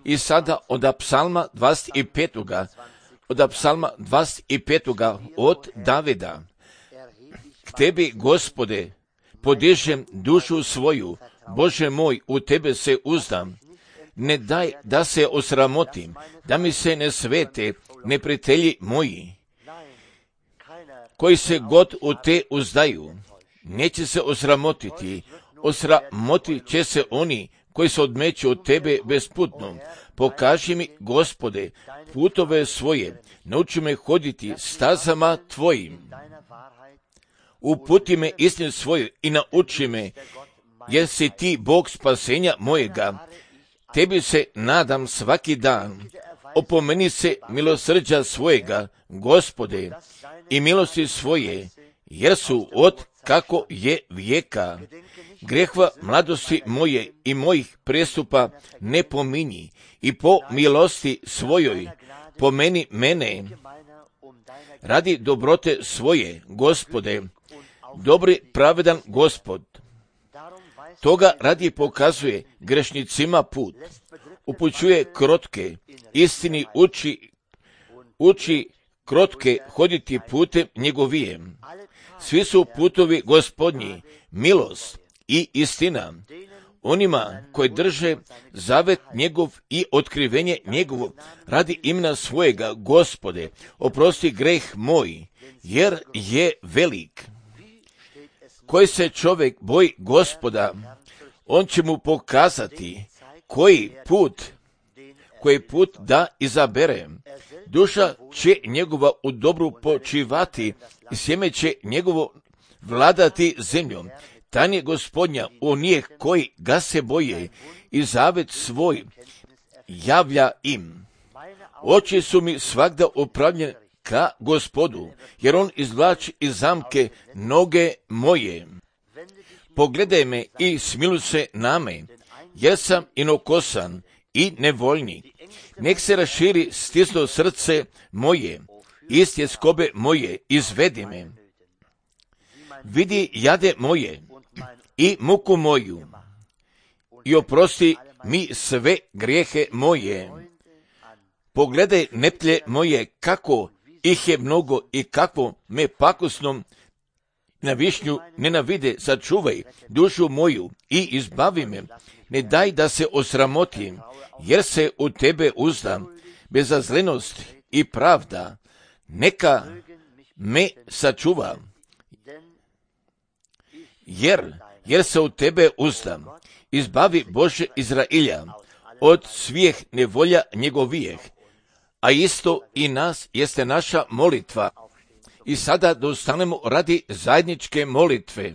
I sada od psalma 25. Od psalma 25. od Davida. K tebi, Gospode, podižem dušu svoju, Bože moj, u tebe se uzdam. Ne daj da se osramotim, da mi se ne svete neprijatelji moji, koji se god u te uzdaju. Neće se osramotiti, osramotit će se oni koji se odmeću od tebe besputno. Pokaži mi, Gospode, putove svoje, nauči me hoditi stazama tvojim. Uputi me istinu svoju i nauči me, jer si ti Bog spasenja mojega. Tebi se nadam svaki dan. Opomeni se milosrđa svojega, Gospode, i milosti svoje, jer su od kako je vijeka. Grehva mladosti moje i mojih prestupa ne pominji, i po milosti svojoj pomeni mene. Radi dobrote svoje, Gospode, dobri pravedan Gospod. Toga radi pokazuje grešnicima put, upućuje krotke, istini uči krotke hoditi putem njegovijem. Svi su putovi Gospodnji, milost i istina. Onima koji drže zavet njegov i otkrivenje njegovo radi imena svojega, Gospode, oprosti greh moj, jer je velik. Koji se čovjek boji Gospoda, on će mu pokazati koji put da izabere. Duša će njegova u dobru počivati i sjeme će njegovo vladati zemljom. Tan je Gospodnja u njih koji ga se boje i zavet svoj javlja im. Oči su mi svagda upravljene ka Gospodu, jer on izvlači iz zamke noge moje. Pogledaj me i smiluj se na me, jer sam inokosan i nevoljnik. Nek se raširi stislo srce moje, iz tjeskobe moje izvedi me. Vidi jade moje i muku moju i oprosti mi sve grijehe moje. Pogledaj neplje moje, kako ih je mnogo i kako me pakosnom na višnju nenavide. Sačuvaj dušu moju i izbavi me. Ne daj da se osramotim, jer se u tebe uzdam. Bezazlenost i pravda neka me sačuva, jer se u tebe uzdam. Izbavi, Bože Izrailja, od svih nevolja njegovijeh, a isto i nas jeste naša molitva. I sada da ustanemo radi zajedničke molitve.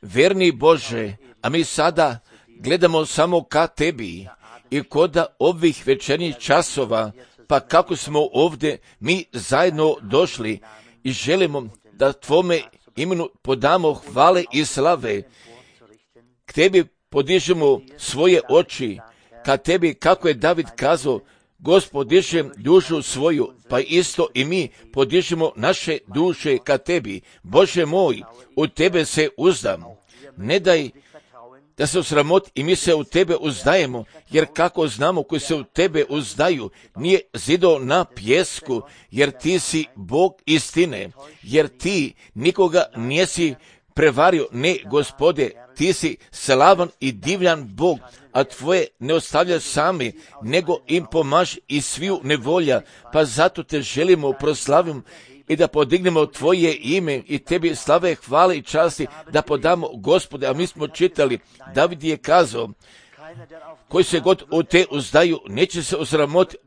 Verni Bože, a mi sada gledamo samo ka tebi i koda ovih večernjih časova, pa kako smo ovdje mi zajedno došli i želimo da tvome imenu podamo hvale i slave. K tebi podižemo svoje oči, ka tebi, kako je David kazao, Gospod, dižem dušu svoju, pa isto i mi podižemo naše duše ka tebi. Bože moj, u tebe se uzdam. Ne daj da se osramoti i mi se u tebe uzdajemo, jer kako znamo koji se u tebe uzdaju, nije zido na pjesku, jer ti si Bog istine, jer ti nikoga nisi prevario, ne, Gospode, ti si slavan i divljan Bog, a tvoje ne ostavljaš sami, nego im pomaži i sviju nevolja, pa zato te želimo proslaviti i da podignemo tvoje ime i tebi slave, hvale i časti da podamo, Gospode. A mi smo čitali, David je kazao, koji se god u te uzdaju, neće se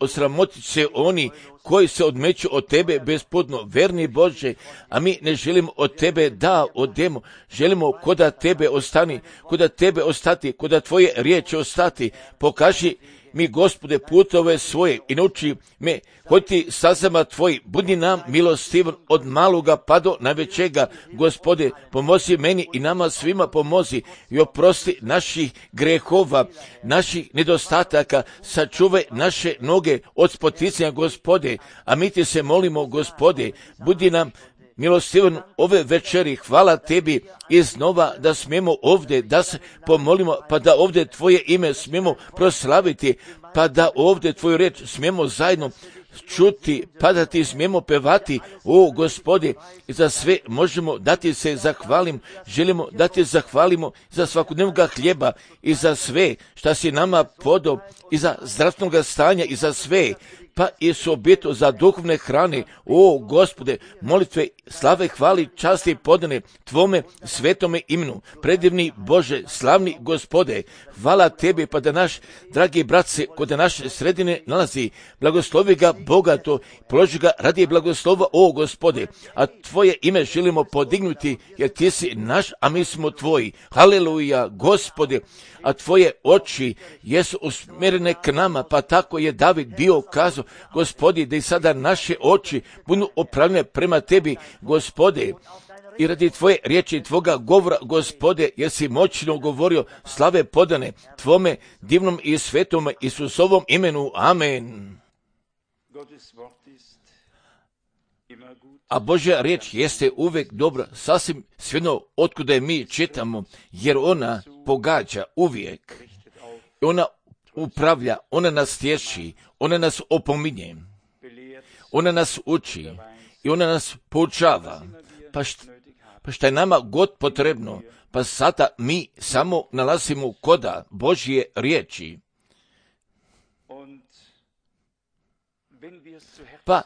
osramotit će oni koji se odmeću od tebe besputno. Verni Bože, a mi ne želimo od tebe da odemo, želimo koda tebe ostati, koda tvoje riječi ostati. Pokaži mi, Gospode, putove svoje i nauči me hoditi stazama tvoji. Budi nam milostivan od maloga pa do najvećega. Gospode, pomozi meni i nama svima pomozi i oprosti naših grehova, naših nedostataka, sačuvaj naše noge od spoticanja, Gospode. A mi ti se molimo, Gospode, budi nam milostivan ove večeri, hvala tebi iznova da smijemo ovdje, da se pomolimo, pa da ovdje tvoje ime smijemo proslaviti, pa da ovdje tvoju riječ smijemo zajedno čuti, pa da ti smijemo pevati, o Gospode, i za sve možemo da ti se zahvalim, želimo da ti zahvalimo za svakodnevnog hljeba i za sve šta si nama podao, i za zdravstvenog stanja i za sve, pa i s objetom za duhovne hrane, o Gospode, molitve, slave, hvali, časti podane tvome svetome imenu, predivni Bože, slavni Gospode, hvala tebi, pa da naš dragi brat se kod naše sredine nalazi, blagoslovi ga bogato, položi ga radi blagoslova, o Gospode, a tvoje ime želimo podignuti, jer ti si naš, a mi smo tvoji, haleluja, Gospode, a tvoje oči jesu usmjerene k nama, pa tako je David bio kazao, Gospodi, da i sada naše oči budu opravljene prema tebi, Gospode, i radi tvoje riječi, tvoga govora, Gospode, jer si moćno govorio, slave podane tvome divnom i svetom Isusovom imenu, amen. A Božja riječ jeste uvijek dobra, sasvim svejedno otkuda je mi čitamo, jer ona pogađa uvijek. Ona upravlja, ona nas tješi, ona nas opominje, ona nas uči i ona nas poučava. Pa šta je nama god potrebno, pa sada mi samo nalazimo koda Božje riječi. Pa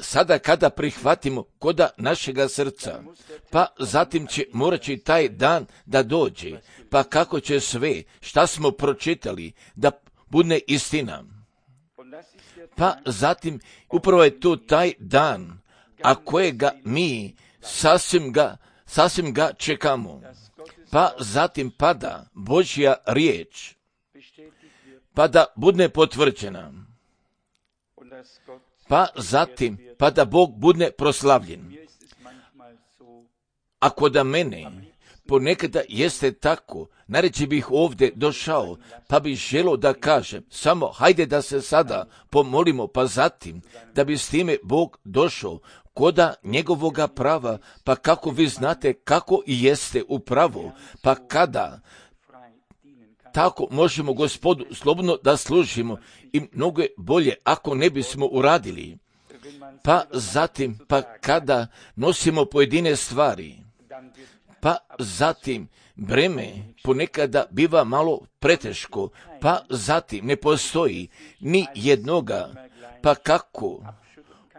sada kada prihvatimo koda našega srca, pa zatim će moraći taj dan da dođe, pa kako će sve šta smo pročitali da bude istina. Pa zatim upravo je to taj dan, a kojega mi sasvim ga čekamo. Pa zatim pada Božja riječ, pa da bude potvrđena. Pa zatim, pa da Bog bude proslavljen. Ako da mene ponekada jeste tako, nareći bih ovdje došao, pa bih želio da kažem, samo hajde da se sada pomolimo, pa zatim, da bi s time Bog došao koda njegovoga prava, pa kako vi znate kako i jeste u pravu, pa kada tako možemo Gospodu slobodno da služimo i mnogo je bolje ako ne bismo uradili. Pa zatim, pa kada nosimo pojedine stvari, pa zatim breme ponekada biva malo preteško, pa zatim ne postoji ni jednoga, pa kako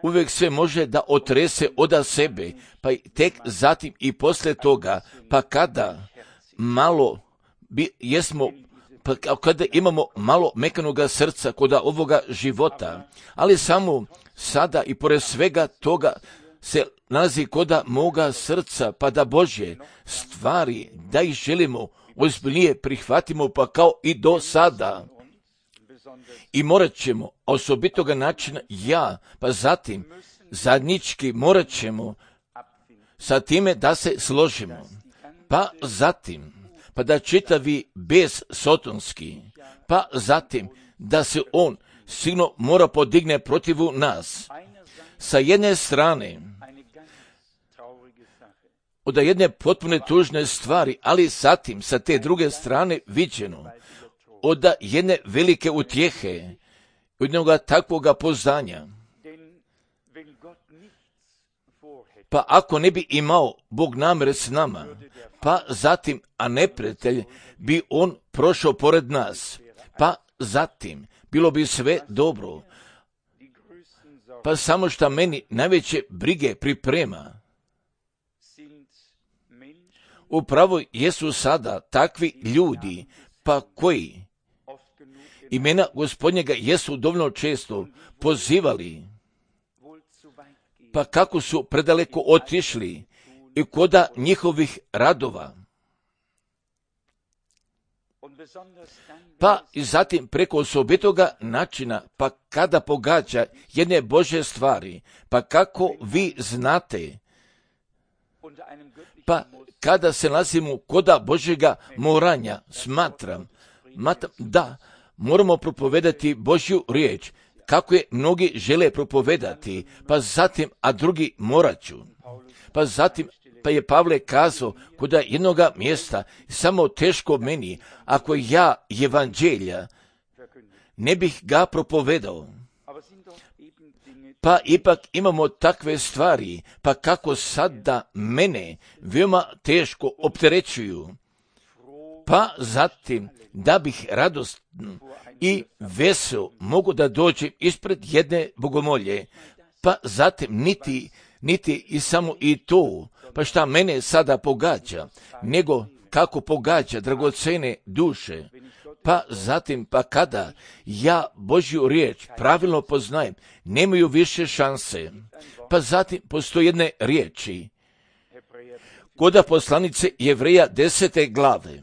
uvijek sve može da otrese oda sebe, pa tek zatim i posle toga, pa kada malo pa kada imamo malo mekanoga srca kod ovoga života, ali samo sada i pored svega toga se nalazi koda moga srca, pa da Božje stvari, da ih želimo ozbiljnije prihvatimo, pa kao i do sada. I morat ćemo osobitoga načina pa zatim zajednički morat ćemo sa time da se složimo, pa zatim pa da čitavi bez sotonski, pa zatim da se on sigurno mora podigne protivu nas. Sa jedne strane, od jedne potpune tužne stvari, ali zatim sa te druge strane viđeno, od jedne velike utjehe, od jednoga takvoga poznanja. Pa ako ne bi imao Bog namere s nama, pa zatim, a neprijatelj bi on prošao pored nas, pa zatim bilo bi sve dobro. Pa samo šta meni najveće brige priprema. Upravo jesu sada takvi ljudi, pa koji imena Gospodnjega jesu dovoljno često pozivali, pa kako su predaleko otišli i koda njihovih radova. Pa i zatim preko osobitoga načina, pa kada pogađa jedne Božje stvari, pa kako vi znate, pa kada se nalazimo koda Božjega moranja, smatram da moramo propovedati Božju riječ, kako je mnogi žele propovedati, pa zatim, a drugi morat ću. Pa zatim, pa je Pavle kazao kod jednoga mjesta, samo teško meni, ako ja evanđelja ne bih ga propovedao. Pa ipak imamo takve stvari, pa kako sada mene veoma teško opterećuju. Pa zatim, da bih radosno i vesel mogu da dođem ispred jedne bogomolje, pa zatim niti i samo i to, pa šta mene sada pogađa, nego kako pogađa dragocene duše. Pa zatim, pa kada ja Božju riječ pravilno poznajem, nemaju više šanse. Pa zatim postoje jedne riječi, kod poslanice Jevreja 10. glave.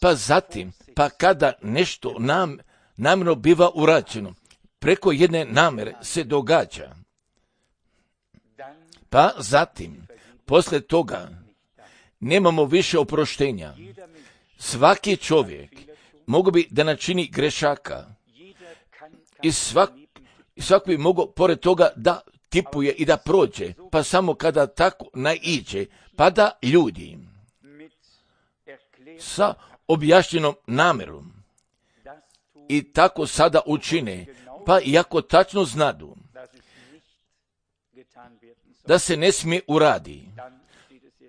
Pa zatim, pa kada nešto namjerno biva urađeno, preko jedne namjere se događa. Pa zatim, posle toga, nemamo više oproštenja. Svaki čovjek mogu bi da načini grešaka i svak bi mogao pored toga da tipuje i da prođe, pa samo kada tako naiđe, pa da ljudi sa objašnjenom namjerom i tako sada učine, pa iako tačno znadu da se ne smije uradi,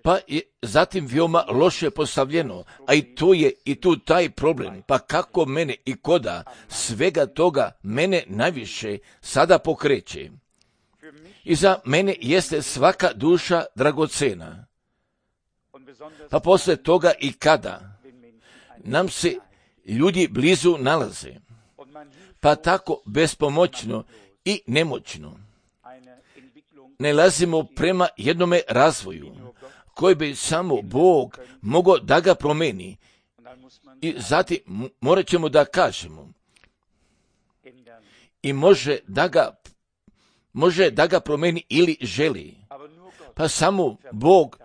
pa je zatim veoma loše postavljeno, a i to je i tu taj problem, pa kako mene i koda svega toga mene najviše sada pokreće. I za mene jeste svaka duša dragocena. Pa posle toga i kada nam se ljudi blizu nalaze, pa tako bespomoćno i nemoćno nalazimo prema jednome razvoju, koji bi samo Bog mogao da ga promeni. I zatim morat ćemo da kažemo, i može da ga promeni ili želi. Pa samo Bog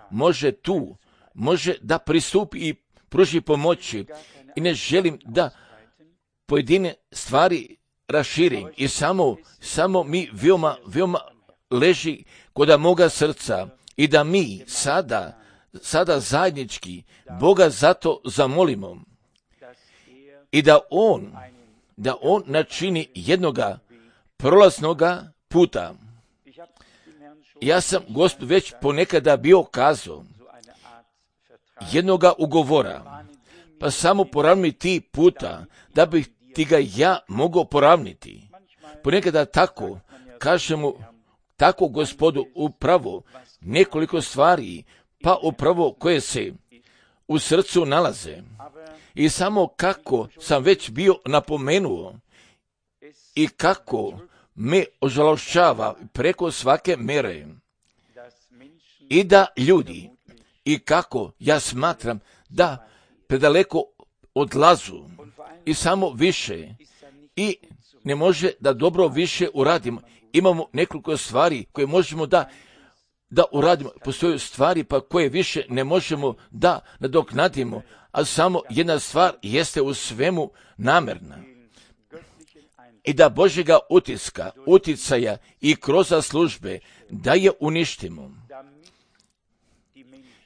može da pristupi i pruži pomoći. I ne želim da pojedine stvari raširim. I samo mi veoma leži kod moga srca i da mi sada zajednički Boga zato zamolimo i da on načini jednoga prolaznoga puta. Ja sam Gospodu već ponekada bio kazao jednoga ugovora, pa samo poravni ti puta da bih ti ga ja mogao poravniti. Ponekada tako kažemo, tako Gospodu upravo nekoliko stvari, pa upravo koje se u srcu nalaze. I samo kako sam već bio napomenuo i kako me ožalošćava preko svake mere i da ljudi i kako ja smatram da predaleko odlazu i samo više i ne može da dobro više uradimo. Imamo nekoliko stvari koje možemo da uradimo. Postoje stvari pa koje više ne možemo da nadoknadimo, a samo jedna stvar jeste u svemu namjerna. I da Božjega uticaja i kroz službe da je uništimo.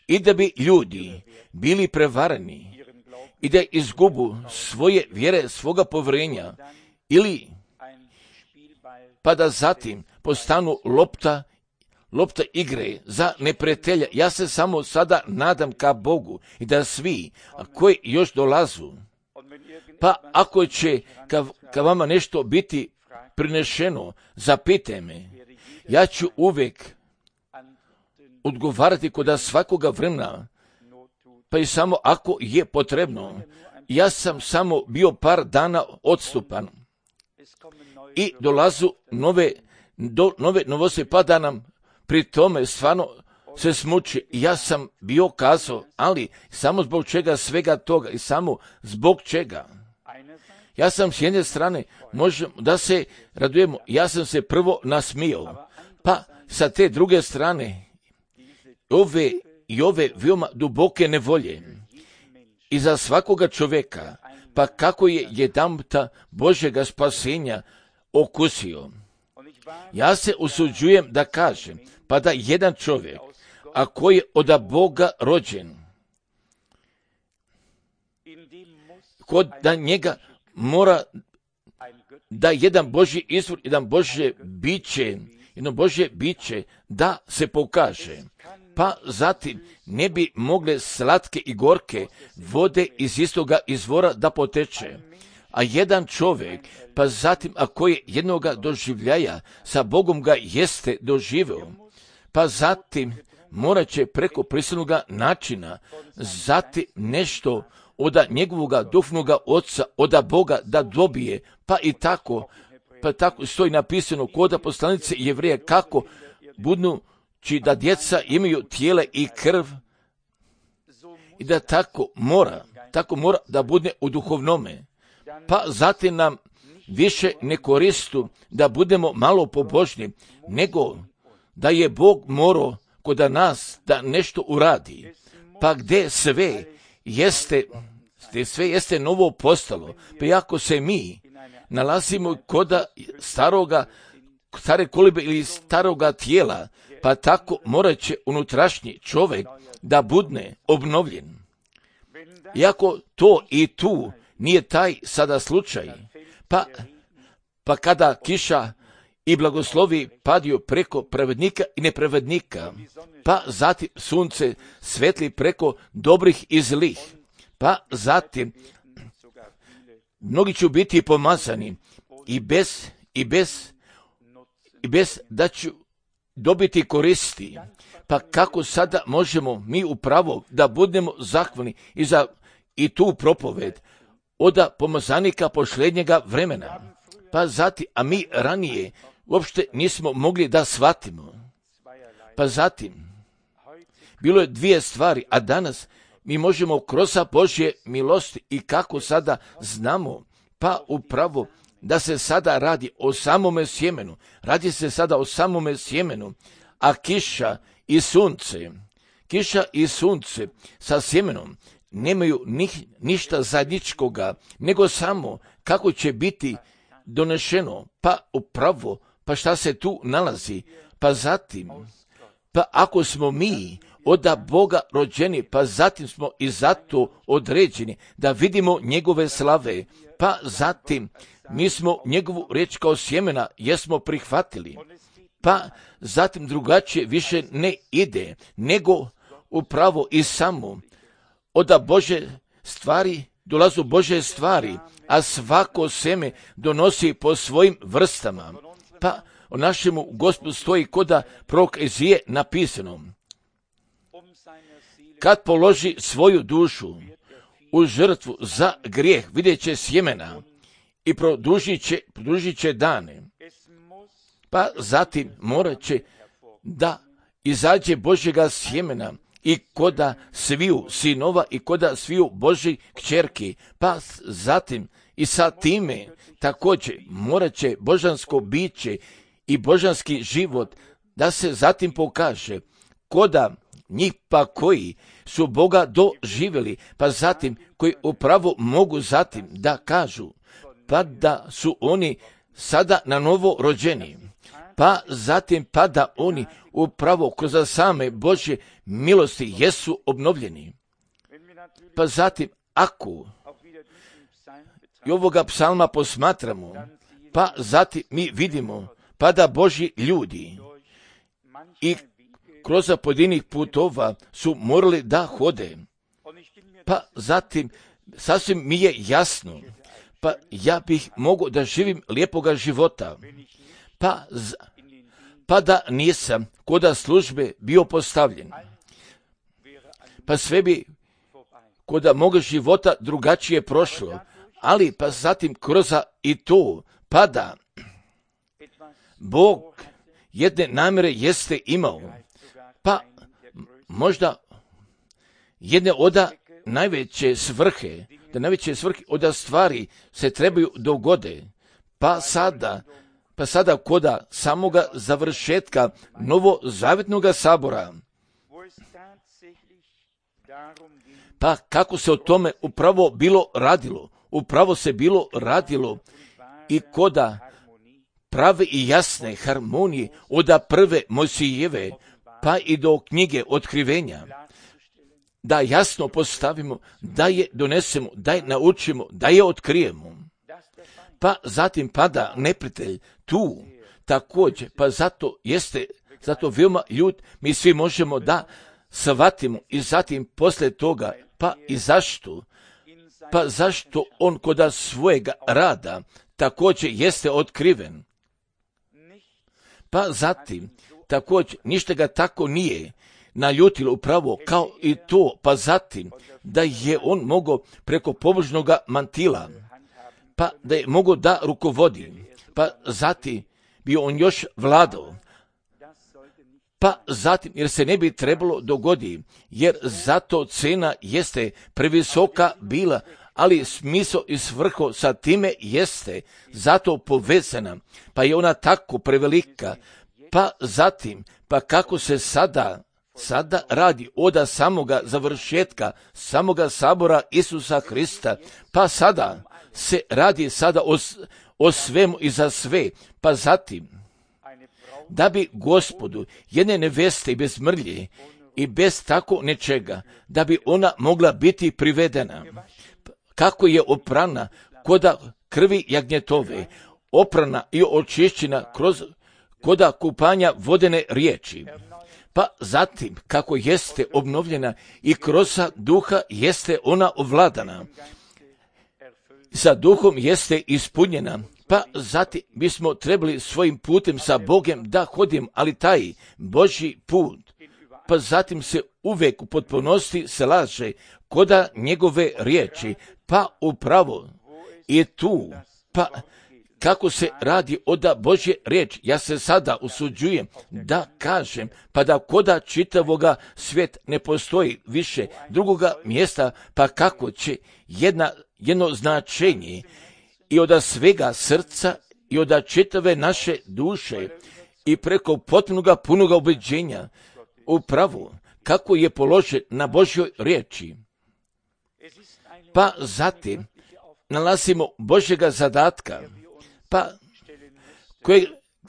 I da bi ljudi bili prevareni i da izgubu svoje vjere, svoga povjerenja ili pa da zatim postanu lopta igre za neprijatelja. Ja se samo sada nadam ka Bogu i da svi koji još dolazu, pa ako će ka vama nešto biti prinešeno, zapitajte me. Ja ću uvijek odgovarati kod svakoga vremena, pa i samo ako je potrebno. Ja sam samo bio par dana odstupan i dolazu nove novosti, pa da nam pri tome stvarno se smuči. Ja sam bio kazao, ali samo zbog čega svega toga i samo zbog čega. Ja sam s jedne strane, možemo da se radujemo, ja sam se prvo nasmijao, pa sa te druge strane ove veoma duboke nevolje i za svakoga čovjeka, pa kako je jedanputa Božjega spasenja okusio. Ja se usuđujem da kažem, pa da jedan čovjek, a koji je od Boga rođen, kod da njega mora da jedan Božji izvor, jedno Božje biće da se pokaže. Pa zatim ne bi mogle slatke i gorke vode iz istoga izvora da poteče. A jedan čovjek, pa zatim ako je jednoga doživljaja, sa Bogom ga jeste doživeo, pa zatim morat će preko prisilnoga načina zatim nešto od njegovoga duhovnoga oca, od Boga da dobije, pa tako stoji napisano kod poslanice Jevreja kako budući da djeca imaju tijele i krv i da tako mora da bude u duhovnome. Pa zatim nam više ne koristu da budemo malo pobožni, nego da je Bog morao kod nas da nešto uradi. Pa gdje sve jeste novo postalo, pa ako se mi nalazimo kod stare kolibe ili staroga tijela, pa tako morat će unutrašnji čovjek da bude obnovljen. Iako to i tu nije taj sada slučaj, pa kada kiša i blagoslovi padaju preko pravednika i nepravednika, pa zatim sunce svetli preko dobrih i zlih, pa zatim mnogi će biti pomazani i bez da ću dobiti koristi. Pa kako sada možemo mi upravo da budemo zahvalni i tu propoved od pomazanika posljednjega vremena. Pa zatim, a mi ranije uopšte nismo mogli da shvatimo. Pa zatim, bilo je dvije stvari, a danas mi možemo kroz Božje milosti i kako sada znamo, pa upravo da se sada radi o samome sjemenu. Radi se sada o samome sjemenu, a kiša i sunce sa sjemenom nemaju ništa zajedničkoga, nego samo kako će biti donešeno, pa upravo, pa šta se tu nalazi, pa zatim, pa ako smo mi od Boga rođeni, pa zatim smo i zato određeni da vidimo njegove slave, pa zatim mi smo njegovu riječ kao sjemena jesmo prihvatili, pa zatim drugačije više ne ide, nego upravo i samo od Bože stvari dolazu Bože stvari, a svako seme donosi po svojim vrstama. Pa o našemu Gospodu stoji koda prorok Ezije napisano: kad položi svoju dušu u žrtvu za grijeh, vidjet će sjemena i produžit će dane. Pa zatim morat će da izađe Božjega sjemena i koda sviju sinova i koda sviju Božjih kćerki. Pa zatim i sa time također morat će božansko biće i božanski život da se zatim pokaže koda njih pa koji su Boga doživjeli, pa zatim koji upravo mogu zatim da kažu pa da su oni sada na novo rođeni, pa zatim pa da oni upravo kroz same Božje milosti jesu obnovljeni. Pa zatim ako i ovoga psalma posmatramo, pa zatim mi vidimo pa da Božji ljudi i kroz pojedinih putova su morali da hode. Pa zatim sasvim mi je jasno, pa ja bih mogao da živim lijepoga života, pa da nisam koda službe bio postavljen. Pa sve bi koda moga života drugačije prošlo, ali pa zatim kroz i to, pa da Bog jedne namjere jeste imao, pa možda jedne od najveće svrhe od stvari se trebaju dogode, pa sada koda samoga završetka novozavjetnog sabora, pa kako se o tome upravo se bilo radilo i koda prave i jasne harmonije od prve Mojsijeve pa i do knjige Otkrivenja, da jasno postavimo, da je donesemo, da je naučimo, da je otkrijemo. Pa zatim pada neprijatelj tu također, pa zato veoma ljud, mi svi možemo da shvatimo i zatim poslije toga, pa i zašto? Pa zašto on kod svojega rada također jeste otkriven? Pa zatim također ništa ga tako nije naljutilo upravo kao i to, pa zatim da je on mogao preko pobožnog mantila, pa da je mogao da rukovodi, pa zatim bi on još vladao, pa zatim jer se ne bi trebalo dogoditi, jer zato cena jeste previsoka bila, ali smisao i svrho sa time jeste zato povezana, pa je ona tako prevelika, pa zatim, pa kako se sada radi od samoga završetka, samoga sabora Isusa Hrista, pa sada se radi sada o svemu i za sve, pa zatim, da bi Gospodu jedne neveste bez mrlje i bez tako nečega, da bi ona mogla biti privedena. Kako je oprana koda krvi jagnjetove, oprana i očišćena koda kupanja vodene riječi. Pa zatim, kako jeste obnovljena i kroz duha jeste ona ovladana, sa duhom jeste ispunjena, pa zatim bismo trebali svojim putem sa Bogom da hodimo, ali taj Božji put, pa zatim se uvijek u potpunosti slaže koda njegove riječi, pa upravo je tu, pa kako se radi od Božje riječi, ja se sada usuđujem da kažem, pa da koda čitavoga svijet ne postoji više drugoga mjesta, pa kako će jedno značenje i od svega srca i od čitave naše duše i preko potpunoga punoga ubeđenja upravo kako je položen na Božjoj riječi. Pa zatim nalazimo Božjega zadatka, pa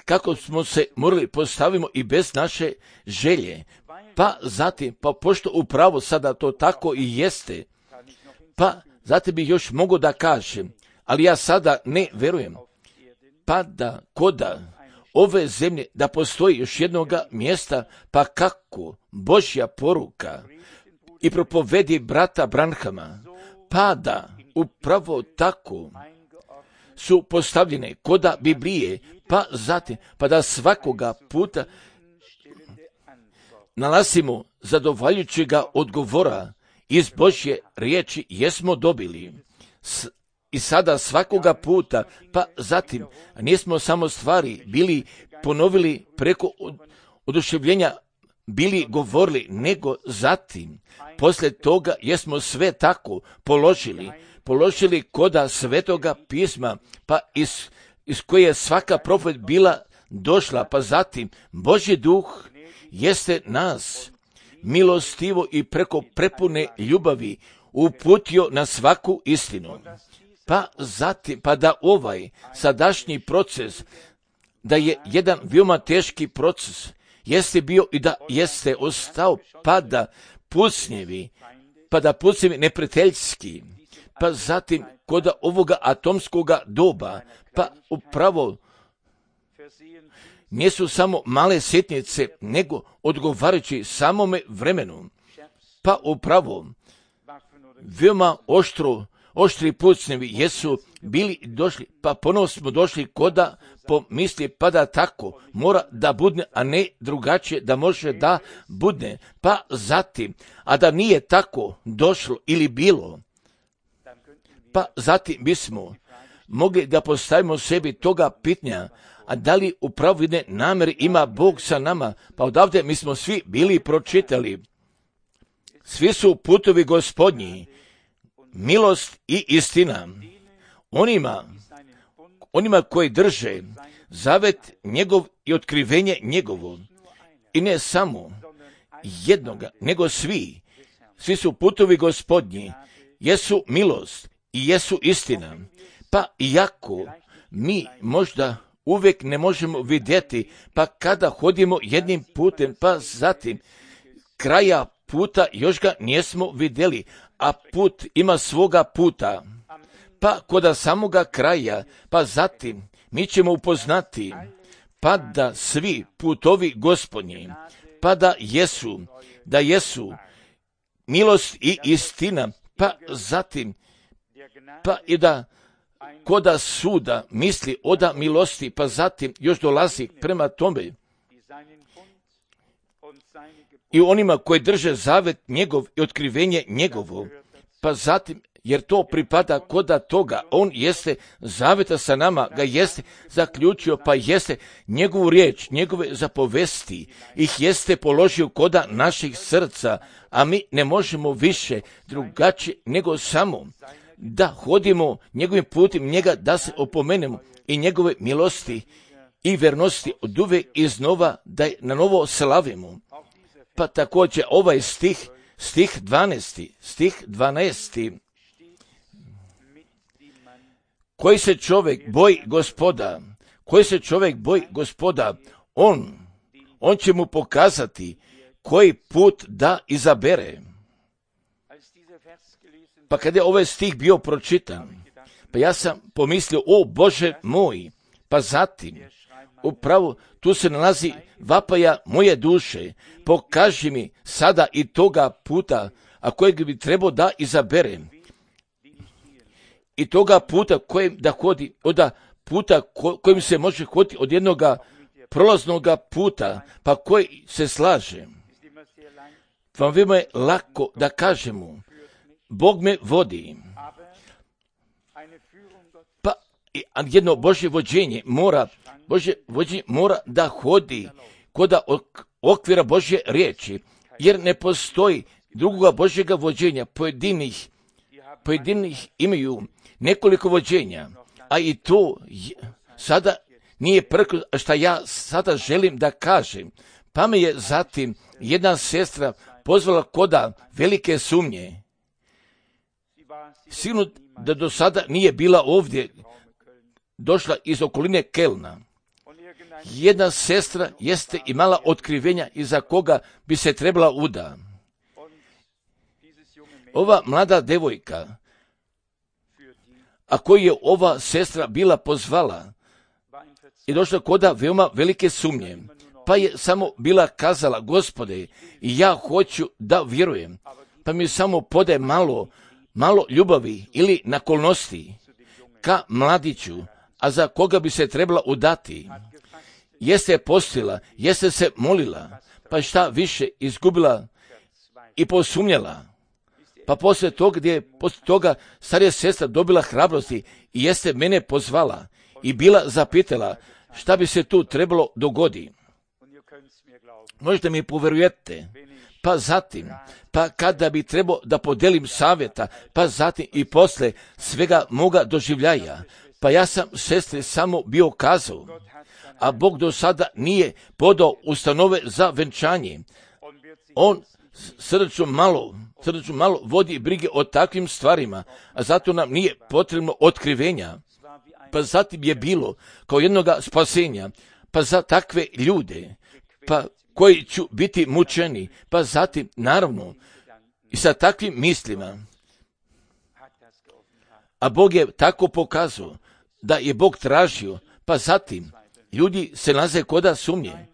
kako smo se morali postavimo i bez naše želje, pa zatim, pa pošto upravo sada to tako i jeste, pa zatim bi još mogo da kažem, ali ja sada ne verujem, pa da koda ove zemlje da postoji još jednoga mjesta, pa kako Božja poruka i propovedi brata Branhama, pa da upravo tako su postavljene koda Biblije, pa zatim, pa da svakoga puta nalazimo zadovoljujućega odgovora iz Božje riječi jesmo dobili. I sada svakoga puta, pa zatim, nismo samo stvari bili ponovili preko oduševljenja, bili govorili, nego zatim, poslije toga jesmo sve tako položili koda Svetoga pisma, pa iz koje je svaka propoved bila došla, pa zatim Božji duh jeste nas milostivo i preko prepune ljubavi uputio na svaku istinu. Pa zatim, pa da ovaj sadašnji proces, da je jedan veoma teški proces, jeste bio i da jeste ostao, pa da pucnjevi neprijateljski, pa zatim kod ovoga atomskoga doba, pa upravo nisu samo male sitnice, nego odgovarajući samome vremenu, pa upravo veoma oštri pucnjevi jesu bili došli, pa ponovo smo došli koda pomisli, pa da tako mora da budne, a ne drugačije da može da budne, pa zatim, a da nije tako došlo ili bilo, pa zatim bismo mogli da postavimo sebi toga pitanja, a da li u pravedne namjeri ima Bog sa nama, pa odavde mi smo svi bili pročitali. Svi su putovi Gospodnji, milost i istina. Onima koji drže zavet njegov i otkrivenje njegovo. I ne samo jednoga, nego svi. Svi su putovi Gospodnji, jesu milost i jesu istina. Pa iako mi možda uvijek ne možemo vidjeti, pa kada hodimo jednim putem, pa zatim kraja puta još ga nismo vidjeli, a put ima svoga puta. Pa kod samoga kraja, pa zatim mi ćemo upoznati, pa da svi putovi Gospodnji, pa da jesu milost i istina, pa zatim, pa i da koda suda misli oda milosti, pa zatim još dolazi prema tome i onima koji drže zavet njegov i otkrivenje njegovo, pa zatim, jer to pripada koda toga, on jeste zaveta sa nama, ga jeste zaključio, pa jeste njegovu riječ, njegove zapovesti, ih jeste položio koda naših srca, a mi ne možemo više drugačije nego samo da hodimo njegovim putem, njega da se opomenemo i njegove milosti i vernosti od uvek iznova da je na novo slavimo. Pa također ovaj stih 12. Koji se čovjek boji Gospoda, on će mu pokazati koji put da izabere. Pa kada je ovaj stih bio pročitan, pa ja sam pomislio, o Bože moj, pa zatim, upravo tu se nalazi vapaja moje duše, pokaži mi sada i toga puta, a kojeg bi trebao da izaberem. I toga puta kojim da hodi, od puta kojim se može hoditi od jednoga prolaznoga puta, pa koji se slaže. Vam vima je lako da kažemo, Bog me vodi. Pa jedno Božje vođenje mora da hodi kod okvira Božje riječi, jer ne postoji drugoga Božjega vođenja. Pojedinih imaju nekoliko vođenja, a i to sada nije prko što ja sada želim da kažem. Pa me je zatim jedna sestra pozvala koda velike sumnje. Sigurno da do sada nije bila ovdje, došla iz okoline Kelna. Jedna sestra jeste imala otkrivenja iza koga bi se trebala uda. Ova mlada devojka, a koju je ova sestra bila pozvala, je došla koda veoma velike sumnje, pa je samo bila kazala, Gospode, ja hoću da vjerujem, pa mi samo podaj malo ljubavi ili naklonosti ka mladiću, a za koga bi se trebala udati. Jeste postila, jeste se molila, pa šta više izgubila i posumnjala. Pa poslije toga starija sestra dobila hrabrosti i jeste mene pozvala i bila zapitala šta bi se tu trebalo dogoditi. Možete mi povjerujete, pa zatim, pa kada bi trebao da podelim savjeta, pa zatim i posle svega moga doživljaja, pa ja sam sestri samo bio kazao, a Bog do sada nije podao ustanove za venčanje. On srdačno malo vodi brige o takvim stvarima, a zato nam nije potrebno otkrivenja. Pa zatim je bilo kao jednoga spasenja, pa za takve ljude, pa koji ću biti mučeni, pa zatim, naravno, i sa takvim mislima. A Bog je tako pokazao da je Bog tražio, pa zatim ljudi se nalaze koda sumnje.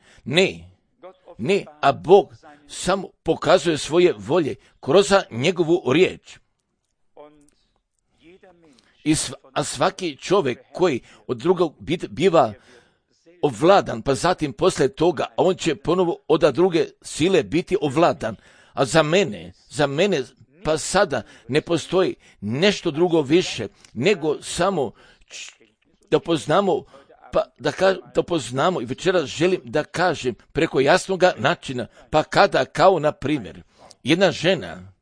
Ne, a Bog samo pokazuje svoje volje kroz njegovu riječ. A svaki čovjek koji od drugog biva ovladan, pa zatim posle toga, a on će ponovo od druge sile biti ovladan. A za mene, pa sada ne postoji nešto drugo više, nego samo da poznamo, pa da poznamo i večeras želim da kažem preko jasnoga načina, pa kada kao na primjer jedna žena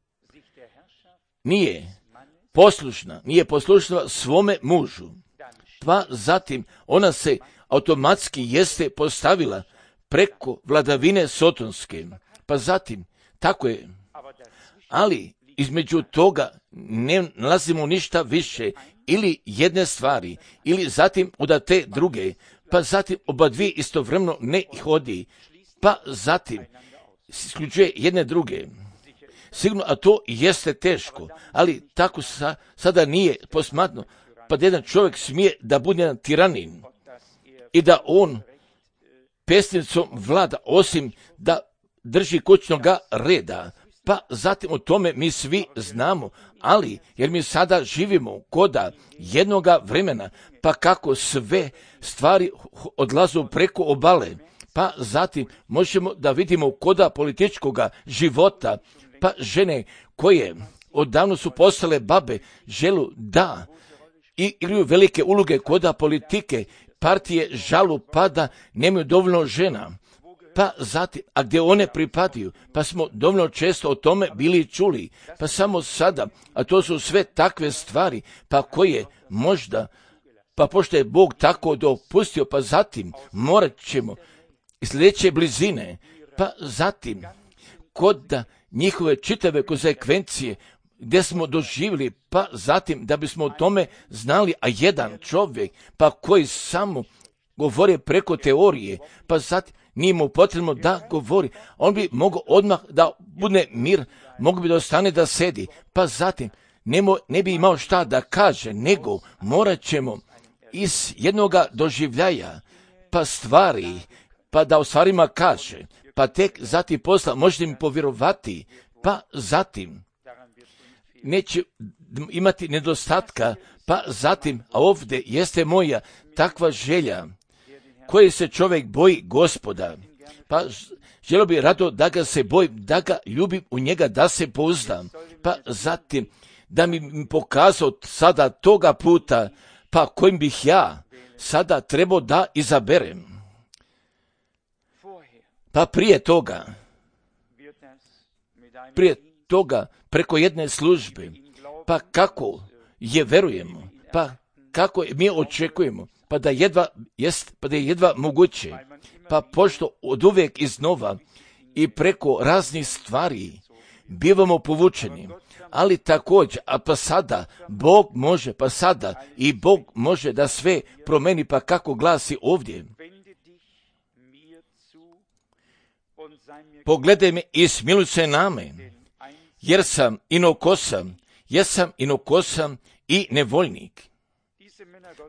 nije poslušna svome mužu, pa zatim ona se automatski jeste postavila preko vladavine sotonske, pa zatim, tako je, ali između toga ne nalazimo ništa više ili jedne stvari, ili zatim od te druge, pa zatim oba dvije istovremeno ne hodi, pa zatim isključuje jedne druge. Sigurno, a to jeste teško, ali tako sada nije posmatno, pa da jedan čovjek smije da bude jedan tiranin i da on pesnicom vlada, osim da drži kućnoga reda. Pa zatim o tome mi svi znamo, ali jer mi sada živimo koda jednoga vremena, pa kako sve stvari odlazu preko obale, pa zatim možemo da vidimo koda političkoga života, pa žene koje odavno su postale babe želu da i igraju velike uloge koda politike, partije žalu pada, nemaju dovoljno žena. Pa zatim, a gdje one pripadaju, pa smo dovoljno često o tome bili čuli, pa samo sada, a to su sve takve stvari, pa koje možda, pa pošto je Bog tako dopustio, pa zatim morat ćemo sljedeće blizine, pa zatim kod njihove čitave konsekvencije gdje smo doživjeli, pa zatim da bismo o tome znali, a jedan čovjek, pa koji samo govori preko teorije, pa zatim nije mu potrebno da govori, on bi mogao odmah da bude mir, mogu bi da ostane da sedi, pa zatim ne bi imao šta da kaže, nego morat ćemo iz jednoga doživljaja, pa stvari, pa da o stvarima kaže, pa tek zatim posla možete mi povjerovati, pa zatim neće imati nedostatka, pa zatim, a ovdje jeste moja takva želja, koje se čovjek boji Gospoda, pa želio bi rado da ga se bojim, da ga ljubim, u njega da se pouzdam, pa zatim da mi pokazao sada toga puta, pa kojim bih ja sada trebao da izaberem. Pa prije toga preko jedne službe, pa kako je verujemo, pa kako mi očekujemo, pa da je jedva moguće, pa pošto od uvijek iznova i preko raznih stvari bivamo povučeni, ali također, a pa sada Bog može, pa sada i Bog može da sve promeni, pa kako glasi ovdje. Pogledaj me i smiluj se na me, jer sam inokosan i nevoljnik.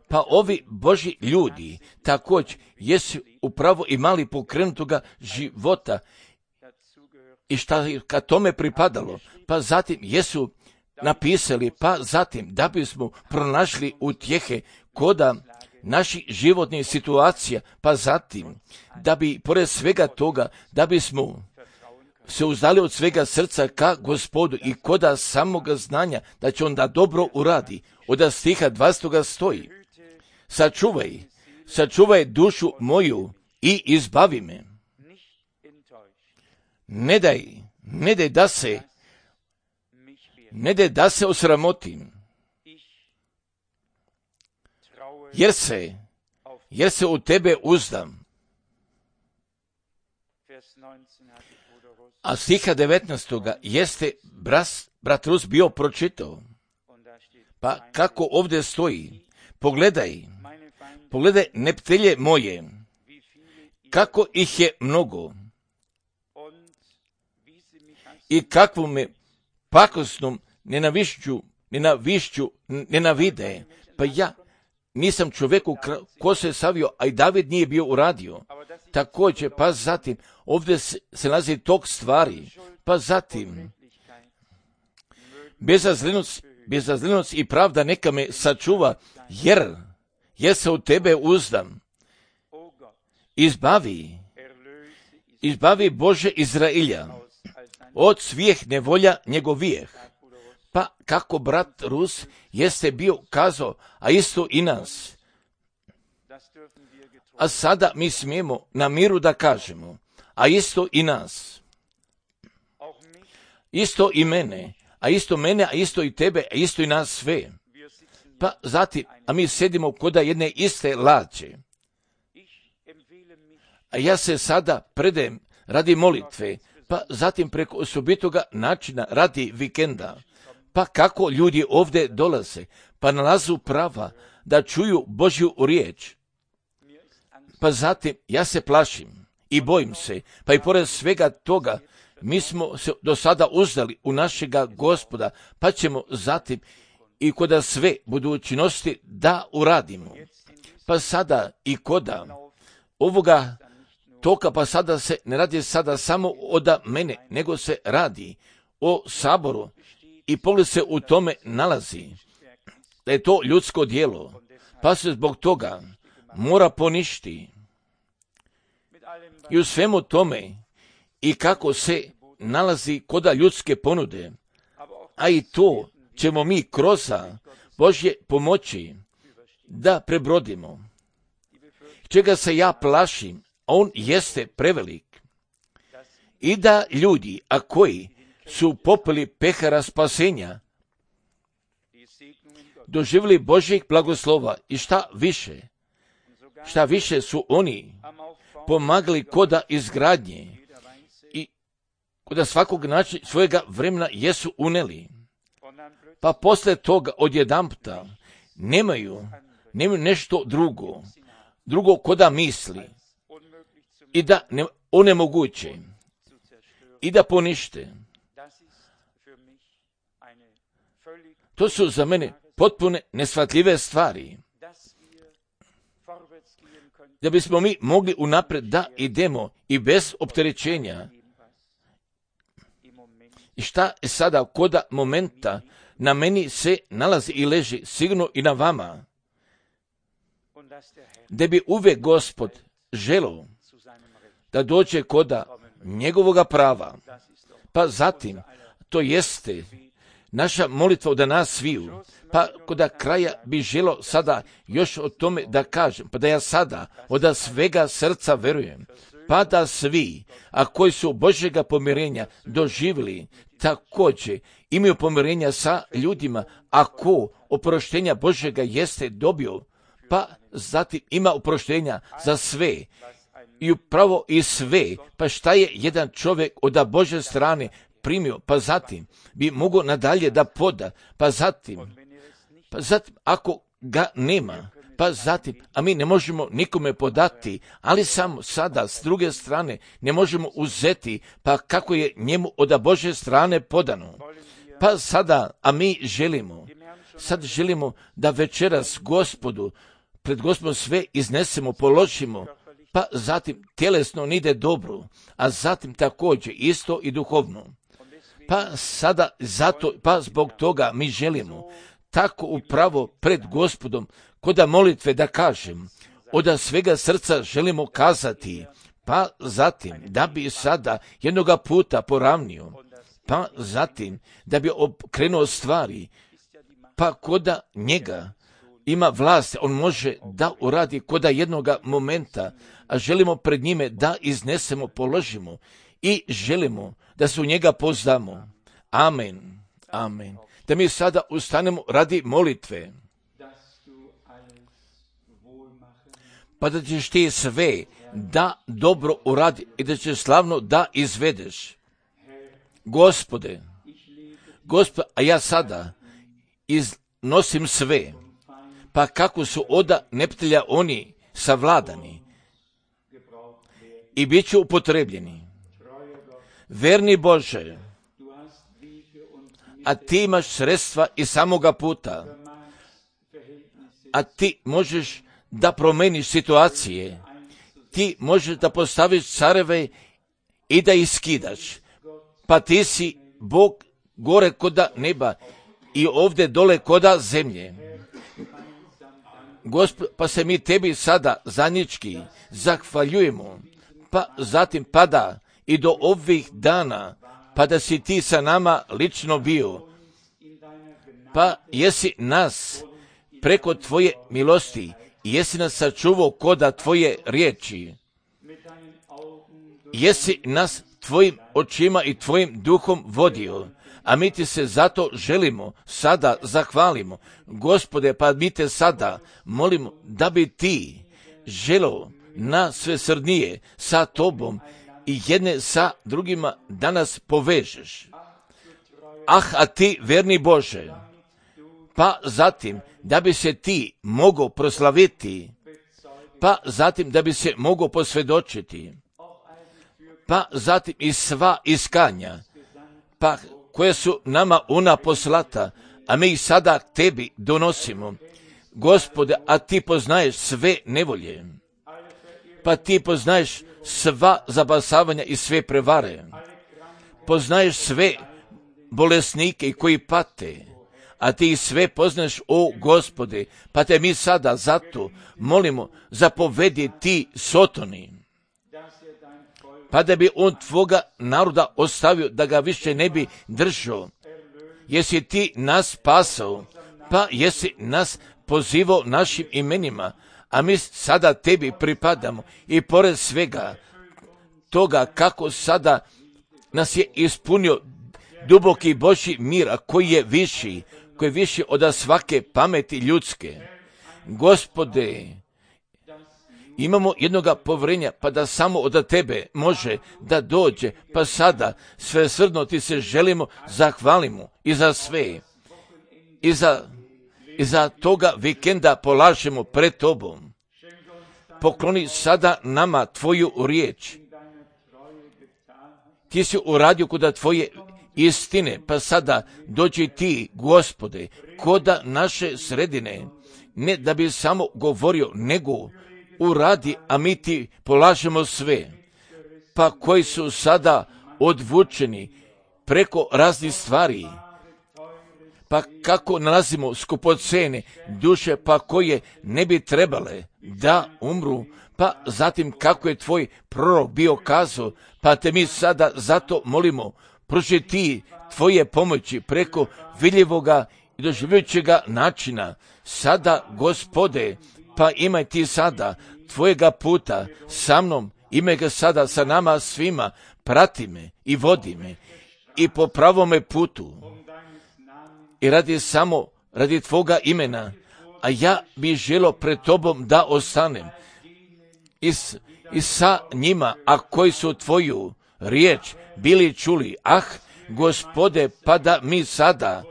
Pa ovi Božji ljudi također jesu upravo imali pokrenutoga života i šta je ka tome pripadalo, pa zatim jesu napisali, pa zatim da bismo pronašli utjehe koda naših životnih situacija, pa zatim da bi pored svega toga, da bismo se uzdali od svega srca ka Gospodu i koda samoga znanja da će on da dobro uradi. Od stiha 20. stoji: sačuvaj dušu moju i izbavi me. Ne daj da se osramotim, jer se u tebe uzdam. A stiha 19. jeste brat Rus bio pročitao. Pa kako ovdje stoji, pogledaj neptelje moje, kako ih je mnogo i kakvu me pakosnom nenavišću nenavide. Pa ja nisam čovjeku ko se savio, a i David nije bio uradio. Također, pa zatim, ovdje se nalazi tog stvari, pa zatim, bezazlenost i pravda neka me sačuva, jer se u tebe uzdam. Izbavi Bože Izrailja od svih nevolja njegovijeh. Pa kako brat Rus jeste bio kazao, a isto i nas. A sada mi smijemo na miru da kažemo, a isto i nas. Isto i mene, a isto i tebe, a isto i nas sve. Pa zatim, a mi sedimo koda jedne iste lađe. A ja se sada predajem radi molitve, pa zatim preko osobitoga načina radi vikenda. Pa kako ljudi ovdje dolaze, pa nalazu prava da čuju Božju riječ. Pa zatim ja se plašim i bojim se, pa i pored svega toga mi smo se do sada uzdali u našega Gospoda, pa ćemo zatim i koda sve budućnosti da uradimo. Pa sada i koda ovoga toka, pa sada se ne radi sada samo od mene, nego se radi o saboru i pogled se u tome nalazi da je to ljudsko djelo, pa se zbog toga mora poništi. I u svemu tome i kako se nalazi koda ljudske ponude, a i to ćemo mi kroz Božje pomoći da prebrodimo. Čega se ja plašim, on jeste prevelik. I da ljudi, a koji su popili pehara spasenja, doživjeli Božjeg blagoslova i šta više su oni pomagali koda izgradnje i koda svakog načina svojega vremena jesu uneli. Pa posle toga odjedanputa nemaju nešto drugo koda misli i da onemoguće i da ponište. To su za mene potpune neshvatljive stvari. Da bismo mi mogli unapred da idemo i bez opterećenja. I šta je sada koda momenta na meni se nalazi i leži, sigurno i na vama, da bi uvijek Gospod želeo da dođe koda njegovoga prava. Pa zatim, to jeste naša molitva od nas sviju. Pa koda kraja bi želo sada još o tome da kažem, pa da ja sada od svega srca verujem, pa da svi, a koji su Božjega pomirenja doživjeli, također imaju pomirenja sa ljudima, ako oproštenja Božjega jeste dobio, pa zatim ima oproštenja za sve i upravo i sve, pa šta je jedan čovjek od Božje strane primio, pa zatim bi mogao nadalje da poda, pa zatim ako ga nema, pa zatim, a mi ne možemo nikome podati, ali samo sada s druge strane ne možemo uzeti, pa kako je njemu od Božje strane podano. Pa sada, a mi želimo da večeras Gospodu, pred Gospodom sve iznesemo, položimo, pa zatim tjelesno nide dobro, a zatim također isto i duhovno. Pa sada zato, pa zbog toga mi želimo tako upravo pred Gospodom koda molitve da kažem, od svega srca želimo kazati, pa zatim da bi sada jednoga puta poravnio, pa zatim da bi okrenuo stvari, pa koda njega ima vlast, on može da uradi koda jednoga momenta, a želimo pred njime da iznesemo, položimo i želimo da se u njega pozdamo. Amen. Amen. Da mi sada ustanemo radi molitve. Pa da ćeš ti sve da dobro uradi i da ćeš slavno da izvedeš. Gospode, a ja sada iznosim sve, pa kako su oda neprijatelja oni savladani i bit će upotrebljeni. Verni Bože, a ti imaš sredstva i samoga puta, a ti možeš da promeniš situacije, ti možeš da postaviš careve i da ih skidaš, pa ti si Bog gore koda neba i ovdje dole koda zemlje. Gospod, pa se mi tebi sada zajednički zahvaljujemo, pa zatim pada i do ovih dana, pa da si ti sa nama lično bio, pa jesi nas preko tvoje milosti, jesi nas sačuvao koda tvoje riječi, jesi nas tvojim očima i tvojim duhom vodio, a mi ti se zato želimo sada zahvalimo. Gospode, pa mi te sada molimo da bi ti želeo na svesrdnije sa tobom i jedne sa drugima da nas povežeš. A ti, verni Bože, pa zatim da bi se ti mogao proslaviti, pa zatim da bi se mogao posvjedočiti, pa zatim i sva iskanja, pa koje su nama ona poslata, a mi ih sada tebi donosimo. Gospode, a ti poznaješ sve nevolje, pa ti poznaješ sva zabasavanja i sve prevare, poznaješ sve bolesnike koji pate, a ti ih sve poznaš, o Gospode, pa te mi sada zato molimo, zapovedi ti Sotoni, pa da bi on tvoga naroda ostavio, da ga više ne bi držao. Jesi ti nas spasao, pa jesi nas pozivao našim imenima, a mi sada tebi pripadamo i pored svega toga kako sada nas je ispunio duboki Božji mir, a koji je viši od svake pameti ljudske. Gospode, imamo jednoga povjerenja, pa da samo od tebe može da dođe, pa sada svesrdno ti se želimo zahvalimo i za sve, i za toga vikenda polažemo pred tobom. Pokloni sada nama tvoju riječ. Ti si uradio kod tvoje istine, pa sada dođi ti, Gospode, kod naše sredine, ne da bi samo govorio, nego uradi, a mi ti polažemo sve, pa koji su sada odvučeni preko raznih stvari, pa kako nalazimo skupocene duše, pa koje ne bi trebale da umru, pa zatim kako je tvoj prorok bio kazao, pa te mi sada zato molimo, pruži ti tvoje pomoći preko vidljivoga i doživljujućega načina. Sada, Gospode, pa imaj ti sada tvojega puta sa mnom, imaj ga sada sa nama svima, prati me i vodi me i po pravome putu. I radi tvoga imena, a ja bih želio pred tobom da ostanem i sa njima, a koji su tvoju riječ bili čuli. Gospode, pa da mi sada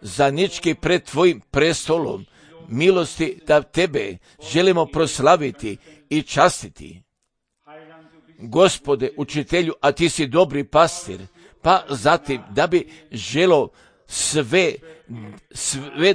zajednički pred tvojim prestolom milosti da tebe želimo proslaviti i častiti. Gospode, učitelju, a ti si dobri pastir, pa zatim da bi želio sve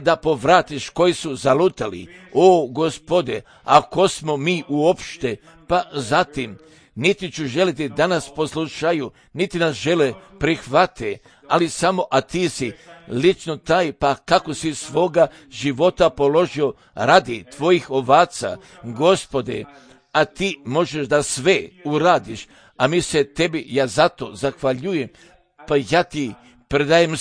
da povratiš koji su zalutali. O Gospode, ako smo mi uopšte, pa zatim niti ću želiti da nas poslušaju, niti nas žele prihvate, ali samo, a ti si lično taj, pa kako si svoga života položio radi tvojih ovaca, Gospode, a ti možeš da sve uradiš, a mi se tebi, ja zato zahvaljujem, pa ja ti predajem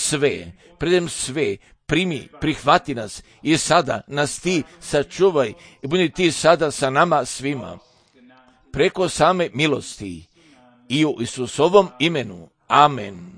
sve, primi, prihvati nas i sada nas ti sačuvaj i budi ti sada sa nama svima. Preko same milosti i u Isusovom imenu. Amen.